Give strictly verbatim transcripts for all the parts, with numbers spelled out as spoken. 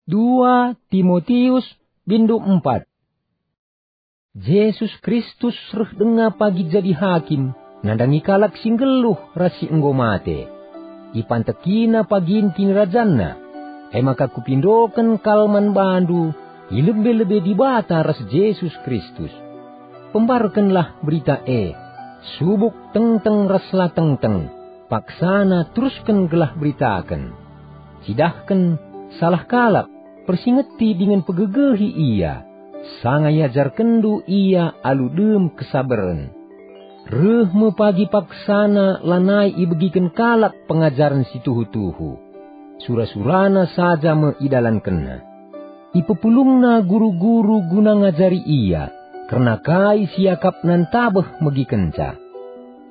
Dua Timotius, bindu empat. Jesus Kristus reh denga pagi jadi hakim, nandangi kalak si nggeluh ras si enggo mate. Ipantekina pagin kinirajanNa, e maka kupindoken kal man bandu i lebe-lebe Dibata ras Jesus Kristus. Pembarkenlah berita e, subuk tengteng ras la tengteng, paksana terusken gelah beritaken. Cidahken salah kalak, persingeti dingen pegegehi ia, sanga iajarkenndu ia alu dem kesabaren. Reh me pagi paksana lanai ibegiken kalak pengajaren si tuhu-tuhu. Sura-surana saja me idalankenna. Ipepulungna guru-guru guna ngajari ia, kerna kai si iakapna ntabeh megikenca.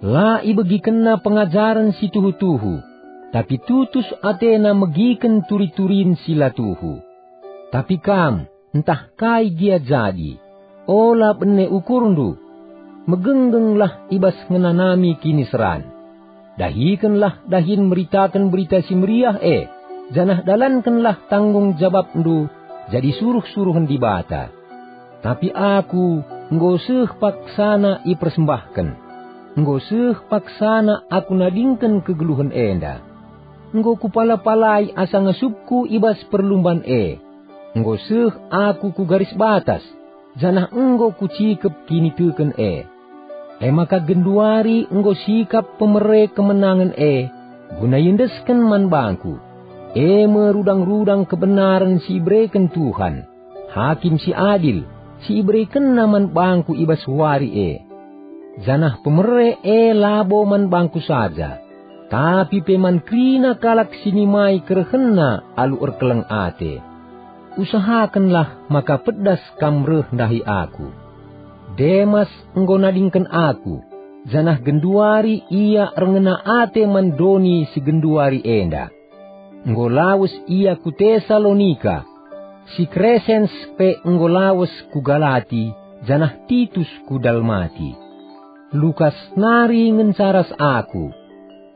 La ibegikenna pengajaren si tuhu-tuhu, tapi tutus atena megiken turi-turin si la tuhu. Tapi kam, ntah kai gia jadi, ola bene ukurndu. Megenggengglah i bas ngenanami kiniseran. Dahikenlah dahin meritaken Berita Si Meriah e, janah dalankenlah tanggung jabapndu jadi suruh-suruhen Dibata. Tapi aku enggo seh paksana ipersembahken. Enggo seh paksana aku nadingken kegeluhen enda. Enggo kupala-palai asa ngasupku i bas perlumban e. Enggo seh aku ku garis batas, janah enggo kucikep kiniteken e. E maka genduari enggo sikap pemere kemenangen e, guna iendesken man bangku, e me rudang-rudang kebenaren si ibereken Tuhan, Hakim si adil, si iberekenNa man bangku i bas wari e. Janah pemere e labo man bangku saja, tapi pe man kerina kalak si nimai kerehenna alu erkeleng ate. Usahakenlah maka pedas kam reh ndahi aku. Demas enggo nadingken aku, janah genduari ia erngena ate man doni si genduari enda. Enggo lawes ia ku Tesalonika, si Kresens pe enggo lawes ku Galati, janah Titus ku Dalmati. Lukas nari ngenca ras aku.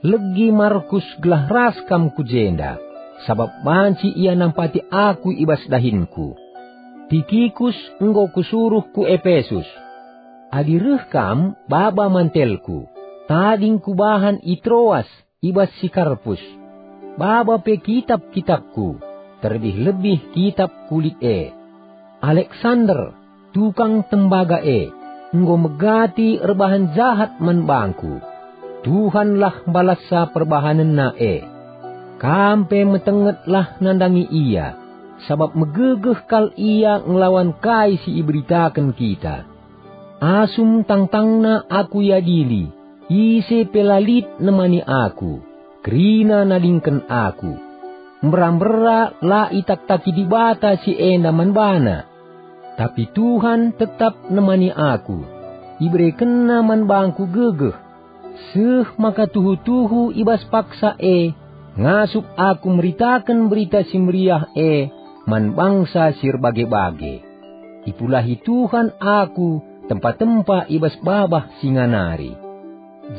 Legi Markus gelah ras kam ku jenda, sabap banci ia nampati aku i bas dahinku. Tikikus enggo kusuruh ku Epesus. Adi reh kam, baba mantelku, tading kubahan i Troas i bas si Karpus. Baba pe kitap-kitapku, terlebih-lebih kitap kulit e. Aleksander, tukang tembaga e, enggo megati erbahan jahat man bangku. Tuhanlah mbalassa perbahanenna e. Kam pe metengetlah nandangi ia, sabap megegeh kal ia ngelawan kai si iberitaken kita. Asum tangtangna aku iadili, ise pe la lit nemani aku, kerina nadingken aku. Mbera-mbera la itaktaki Dibata si enda man bana. Tapi Tuhan tetap nemani aku, iberekenNa man bangku gegeh. Seh maka tuhu-tuhu i bas paksa e, ngasup aku meritaken Berita Si Meriah e man bangsa si erbage-bage. Ipulahi Tuhan aku tempa-tempa i bas babah singa nari.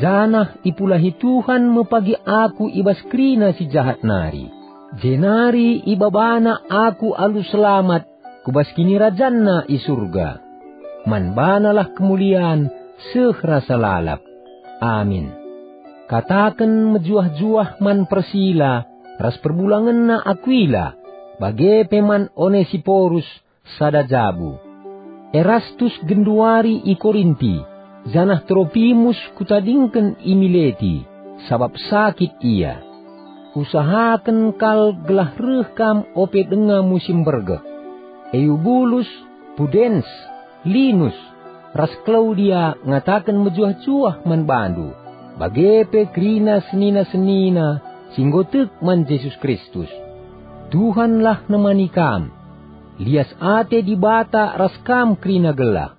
Janah ipulahi Tuhan me pagi aku i bas kerina si jahat nari, jenari ibabana aku alu selamat ku bas kinirajanNa i Surga. Man banalah kemulian seh rasa lalap. Amin. Kataken mejuah-juah man Persila ras perbulangenna Akuila, bage pe man Onesiporus sada jabu. Erastus genduari i Korinti, janah Tropimus kutadingken i Mileti, sabap sakit ia. Usahaken kal gelah reh kam ope denga musim bergeh. Eubulus, Pudens, Linus, ras Klaudia ngataken mejuah-juah man bandu, bage pe kerina senina-senina si enggo tek man Jesus Kristus. Tuhanlah nemani kam. Lias ate Dibata ras kam kerina gelah.